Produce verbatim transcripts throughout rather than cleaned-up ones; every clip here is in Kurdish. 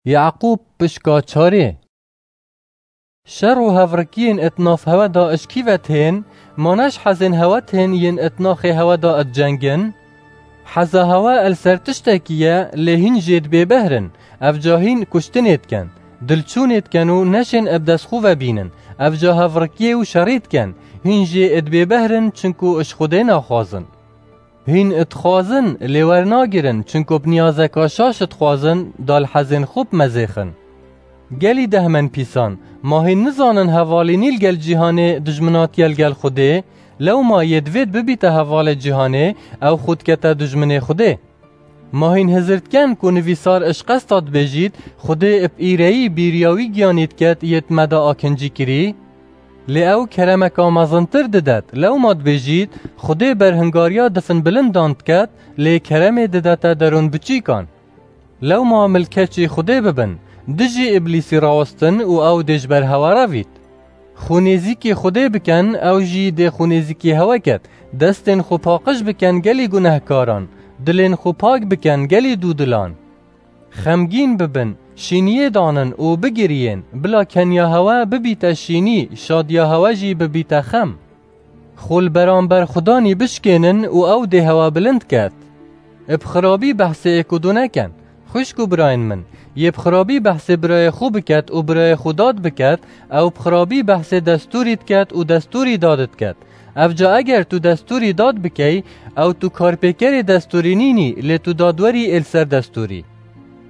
Yaqûb pişka çarê. Şer û hevrikiyên it nav hewe da ij kî ve tên, ma ne ji hezên hewe tên yên it naxê hewe da it cengin? Heza hewe el ser tiştekî ye, lê hîn jê dibê behrin, ev ca hîn kuştinê diken, dilçûnê diken û neşên ib dest xwe ve bînin, ev ca hevrikiyê û şerî diken, hîn jê dibê behrin, çinku ij Xwedê naxwazin. Hîn dixwazin, lê wernagirin, çinku bi niyazeka şaş dixwazin, da li hezên xwe bimezêxin. Gelî dehmenpîsan, ma hîn nizanin hevalînî li gel cîhanê dijminatiye li gel Xwedê, lewma yê divêt bibîte hevalê cîhanê, ew xwe dikete dijminê Xwedê. Ma hîn hizir diken ku nivîsar ij qesta dibêjît, Xwedê bi îreyî bîriya wî giyanî diket yê di me de akincî kirî? Lê ew keremeka mezintir didet, lewma dibêjît, Xwedê berhingariya difinbilindan diket, lê keremê didete derûnbiçîkan. Lewma milkeçî Xwedê bibin, dijî Îblîsî rawestin û ew dê ji ber hewe revît. Xwe nêzîkî Xwedê biken, ew jî dê xwe nêzîkî hewe ket, destên xwe paqij biken gelî gunehkaran, dilên xwe pak biken gelî dûdilan. Xemgîn bibin, şîniyê danin û bigiriyên, bila keniya hewe bibîte şînî, şadiya hewe jî bibîte xem. Xwe li beramber Xudanî bişkênin û ew dê hewe bilind ket. Bi xirabî behsê êk û du neken. Xwişk û birayên min, yê bi xirabî behsê birayê xwe biket û birayê xwe dad biket, ew bi xirabî behsê destûrî diket û destûrî dad diket. Ev ca eger tu destûrî dad bikey, ew tu karpêkerê destûrî nînî, lê tu dadwerî ê li ser destûrî.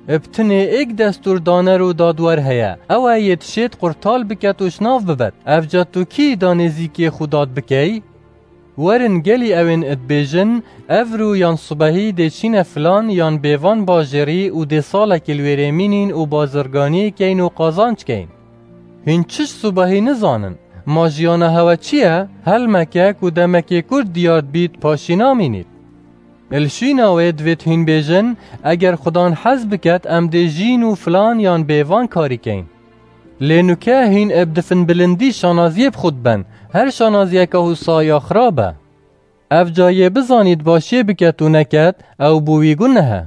Bi tinê êk destûr daner û dadwer heye, ew e yê dişêt qurtal biket û şnav bibet. Ev ca tu kî da nêzîkê xwe dad bikey? Werin gelî ewên dibêjin, evro yan sibehî dê çîne filan yan bêvan bajêrî û dê salekî li wêrê mînîn û bazirganiyê keyn û qazanc keyn. Hîn çi ji sibehî nizanin? Ma jiyana hewe çi ye? Helmeke ku demekê kurt diyar dibît paşî namînît. Li şûna wê divêt hîn bêjin, eger Xudan hez biket em dê jîn û filan yan bêvan karî keyn. Lê nuke hîn eb difinbilindî şanaziyê bi xwe diben, her şanaziyeke wisa ya xirab e. Ev ca yê bizanît başiyê biket û neket, ew bo wî guneh e.